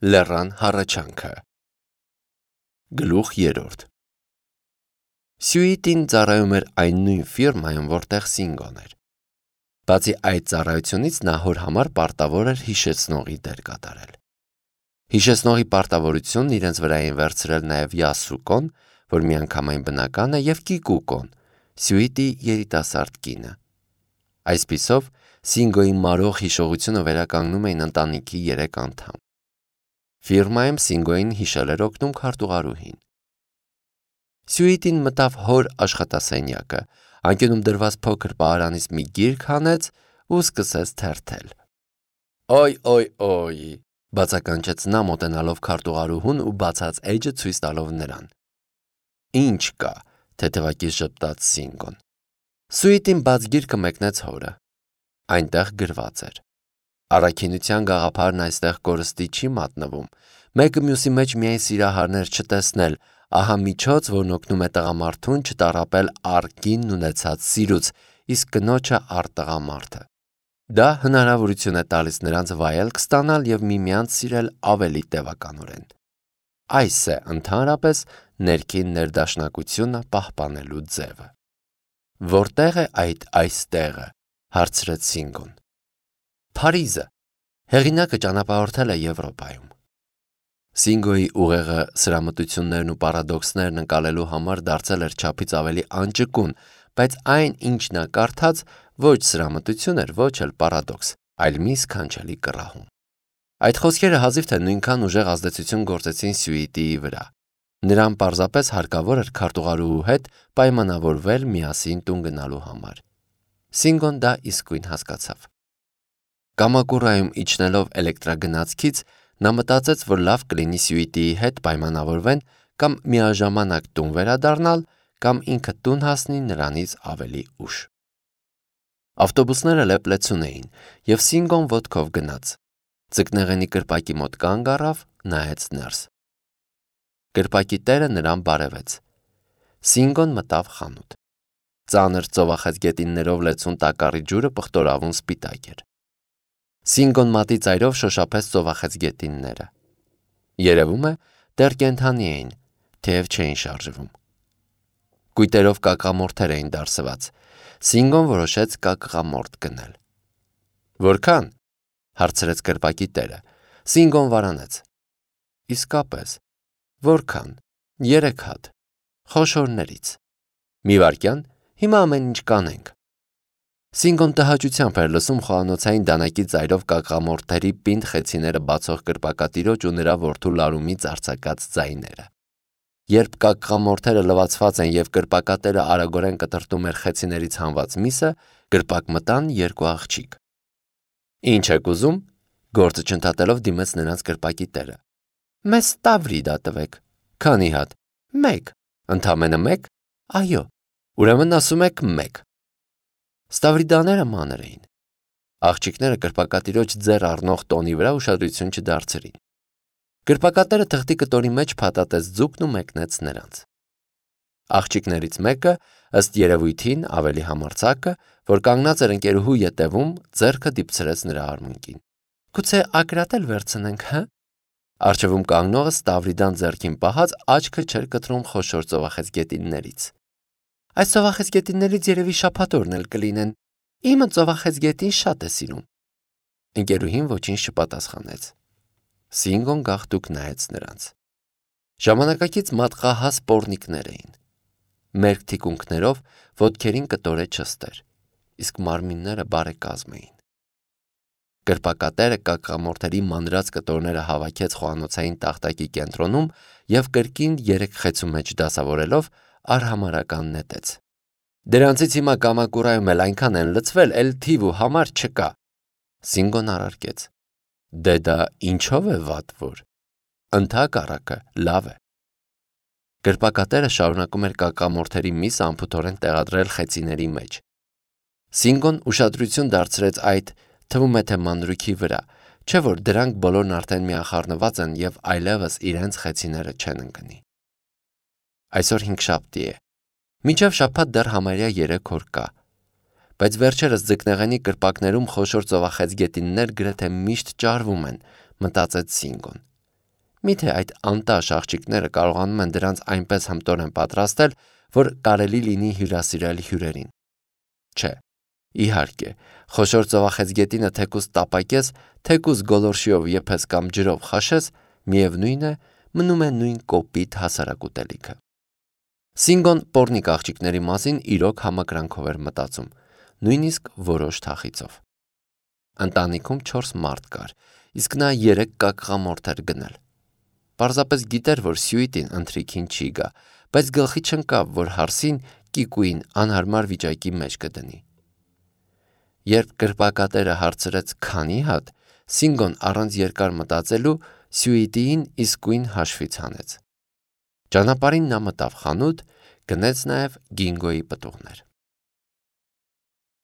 Լեռան հառաչանքը Գլուխ 3 Սյուիտին ծառայում էր այն նույն ֆիրմայում, որտեղ Սինգոն էր։ Բացի այդ ծառայությունից նա հոր համար պարտավոր էր հիշեցնողի դեր կատարել։ Հիշեցնողի պարտավորությունն իրենց վրա էին վերցրել նաև Յասուկոն, որ միանգամայն բնական է, և Կիկուկոն, Սյուիտի երիտասարդ կինը։ Այսպիսով, Սինգոյի մարող հիշողությունը վերականգնում էին ընտանիքի 3 անդամ։ Ֆիրմայում Սինգոյին հիշել էր օգնում քարտուղարուհին։ Սյուիտին մտավ հոր աշխատասենյակը, անկյունում դրված փոքր պահարանից մի գիրք հանեց ու սկսեց թերթել։ «Օյ», բացականչեց նա մոտենալով քարտուղարուհուն ու բացած էջը ցույց տալով նրան։ «Ինչ կա», թեթևակից ժպտաց Սինգոն։ Սյուիտին բաց գիրքը մեկնեց հորը։ Այնտեղ գրված էր. «Առաքինության գաղափարն այստեղ կորստի չի մատնվում, մեկը մյուսի մեջ միայն սիրահարներ չտեսնել, ահա միջոց, որն օգնում է տղամարդուն չտառապել առ կինն ունեցած սիրուց, իսկ կնոջը առ տղամարդը։ Դա հնարավորություն է տալիս նրանց վայելք ստանալ և միմյանց սիրել ավելի տևականորեն։ Այս է ընդհանրապես ներքին ներդաշնակությունը պահպանելու ձևը»։ «Որտեղ է այստեղը», հարցրեց Սինգոն։ «Փարիզը, հեղինակը ճանապարհորդել է Եվրոպայում»։ Սինգոյի ուղեղը սրամտություններն ու պարադոքսներն ընկալելու համար դարձել էր չափից ավելի անճկուն, բայց այն, ինչ նա կարդաց, ոչ սրամտություն էր, ոչ էլ պարադոքս, այլ մի սքանչելի կռահում։ Այդ խոսքերը հազիվ թե նույնքան ուժեղ ազդեցություն գործեցին Սյուիտիի վրա։ Նրան պարզապես հարկավոր էր քարտուղարուհու հետ պայմանավորվել միասին տուն գնալու համար։ Սինգոն դա իսկույն հասկացավ։ Կամակուրայում իջնելով էլեկտրագնացքից, նա մտածեց, որ լավ կլինի Սյուիտիի հետ պայմանավորվեն կամ միաժամանակ տուն վերադառնալ, կամ ինքը տուն հասնի նրանից ավելի ուշ։ Ավտոբուսները լեփլեցուն էին, և Սինգոն ոտքով գնաց։ Ձկնեղենի կրպակի մոտ կանգ առավ, նայեց ներս։ Կրպակի տերը նրան բարևեց։ Սինգոն մտավ խանութ։ Ծանր ծովախեցգետիններով լեցուն տակառի ջուրը պղտորավուն սպիտակ էր։ Սինգոն մատի ծայրով շոշափեց ծովախեցգետինները։ Երևում է, դեռ կենդանի էին, թեև չէին շարժվում։ Կույտերով կակամորթեր էին դարսված։ Սինգոն որոշեց կակղամորթ գնել։ «Որքան?» հարցրեց կրպակի տերը։ Սինգոն վարանեց։ «Իսկապես, որքան?» «3 հատ, խոշորներից»։ «Մի վայրկյան, հիմա ամեն ինչ կանենք»։ Սինգոն տհաճությամբ էր լսում խոհանոցային դանակի ծայրով կակղամորթերի պինդ խեցիները բացող կրպակատիրոջ ու նրա որդու լարումից արձակած ձայները։ Երբ կակղամորթերը լվացված են և կրպակատերը արագորեն կտրտում էր խեցիներից հանված միսը, կրպակ մտան 2 աղջիկ։ «Ինչ եք ուզում?» գործը չընդհատելով դիմեց նրանց կրպակի տերը։ «Մեզ Ստավրիդա տվեք»։ «Քանի հատ»։ «1»։ «Ընդամենը 1»։ «Այո»։ «Ուրեմն ասում եք 1»։ Ստավրիդաները մանր էին։ Աղջիկները կրպակատիրոջ ձեռ առնող տոնի վրա ուշադրություն չդարձրին։ Կրպակատերը թղթի կտորի մեջ փաթաթեց ձուկն ու մեկնեց նրանց։ Աղջիկներից մեկը, ըստ երևույթին ավելի համարձակը, որ կանգնած էր ընկերուհու ետևում, ձեռքը դիպցրեց նրա արմունկին։ «Գուցե ակրատել վերցնենք, հը»։ Առջևում կանգնողը Ստավրիդան ձեռքին պահած աչքը չէր կտրում խոշոր ծովախեցգետիններից։ «Այս ծովախեցգետիններից երևի շաբաթօրն էլ կլինեն։ Իմը ծովախեցգետին շատ է սիրում»։ Ընկերուհին ոչինչ չպատասխանեց։ Սինգոն գաղտուկ նայեց նրանց։ Ժամանակակից մատղահաս պոռնիկներ էին։ Մերկ թիկունքներով ոտքերին կտորե չստեր, իսկ մարմինները բարեկազմ էին։ Կրպակատերը կակղամորթերի մանրած կտորները հավաքեց խոհանոցային տախտակի կենտրոնում և կրկին 3 խեցու մեջ դասավորելով արհամարհական նետեց։ «Դրանցից հիմա Կամակուրայում էլ այնքան են լցվել, էլ թիվ ու համար չկա»։ Սինգոն առարկեց։ «Դե դա ինչով է վատ որ»։ «Ընդհակառակը, լավ է»։ Կրպակատերը շարունակում էր կակամորթերի միսը անփութորեն տեղադրել խեցիների մեջ։ Սինգոն ուշադրություն դարձրեց այդ, թվում է թե մանրուքի վրա, չէ՞ որ դրանք բոլորն արդեն միախառնված են և այլևս իրենց խեցիները չեն ընկնի։ Այսօր հինգշաբթի է։ Մինչև շաբաթ դեռ համարյա 3 օր կա։ Բայց վերջերս ձկնեղենի կրպակներում խոշոր ծովախեցգետիններ գրեթե միշտ ճարվում են, մտածեց Սինգոն։ Միթե այդ անտաշ աղջիկները կարողանում են դրանց այնպես հմտորեն պատրաստել, որ կարելի լինի հյուրասիրել հյուրերին։ Չէ, իհարկե, խոշոր ծովախեցգետինը թեկուզ տապակես, թեկուզ գոլորշիով եփես կամ ջրով խաշես, միևնույն է, մնում է նույն կոպիտ հասարակ ուտելիքը։ Սինգոն պոռնիկ աղջիկների մասին իրոք համակրանքով էր մտածում, նույնիսկ որոշ թախիծով։ Ընտանիքում 4 մարդ կար, իսկ նա 3 կակղամորթ էր գնել։ Պարզապես գիտեր, որ Սյուիտին ընթրիքին չի գա, բայց գլխի չընկավ, որ հարսին կիկուին անհարմար վիճակի մեջ կդնի։ Երբ կրպակատերը հարցրեց քանի հատ, Սինգոն առանց երկար մտածելու Սյուիտիին իսկույն հաշվից հանեց։ Ճանապարհին նա մտավ խանութ, գնեց նաև Գինգոյի պտուղներ։